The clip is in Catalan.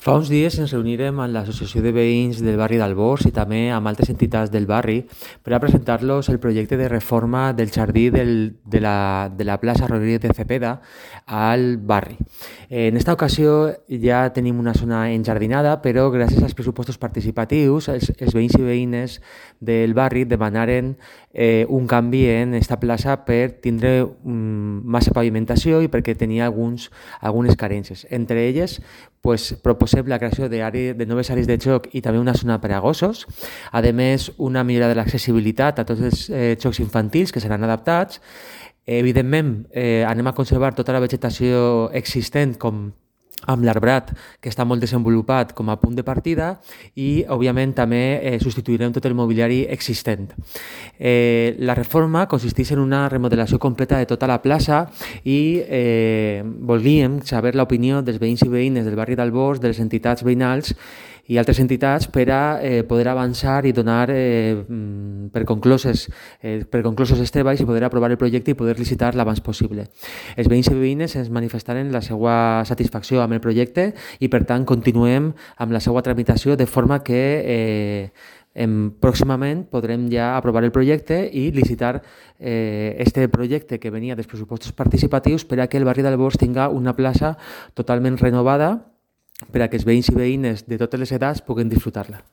Fa uns dies ens reunirem amb l'Associació de Veïns del barri d'Albors i també amb altres entitats del barri per a presentar-los el projecte de reforma del jardí de la plaça Rodríguez de Cepeda al barri. En esta ocasió ja tenim una zona enjardinada, però gràcies als pressupostos participatius els veïns i veïnes del barri demanaren un canvi en esta plaça per tindre massa pavimentació i perquè tenia algunes carències. Entre elles, proposem la creació de noves àrees de joc i també una zona per a gossos. A més, una millora de l'accessibilitat a tots els jocs infantils que seran adaptats. Evidentment, anem a conservar tota la vegetació existent amb l'arbrat, que està molt desenvolupat com a punt de partida, i, òbviament, també substituirem tot el mobiliari existent. La reforma consisteix en una remodelació completa de tota la plaça i volíem saber l'opinió dels veïns i veïnes del barri d'Albors, de les entitats veïnals i altres entitats per a poder avançar i donar per conclosos els treballs i poder aprovar el projecte i poder licitar l'abans possible. Els veïns i veïnes ens manifestaren la seva satisfacció amb el projecte i, per tant, continuem amb la seva tramitació de forma que pròximament podrem ja aprovar el projecte i licitar este projecte que venia dels pressupostos participatius per a que el barri d'Albors tinga una plaça totalment renovada per a que els veïns i veïnes de totes les edats puguin disfrutar-la.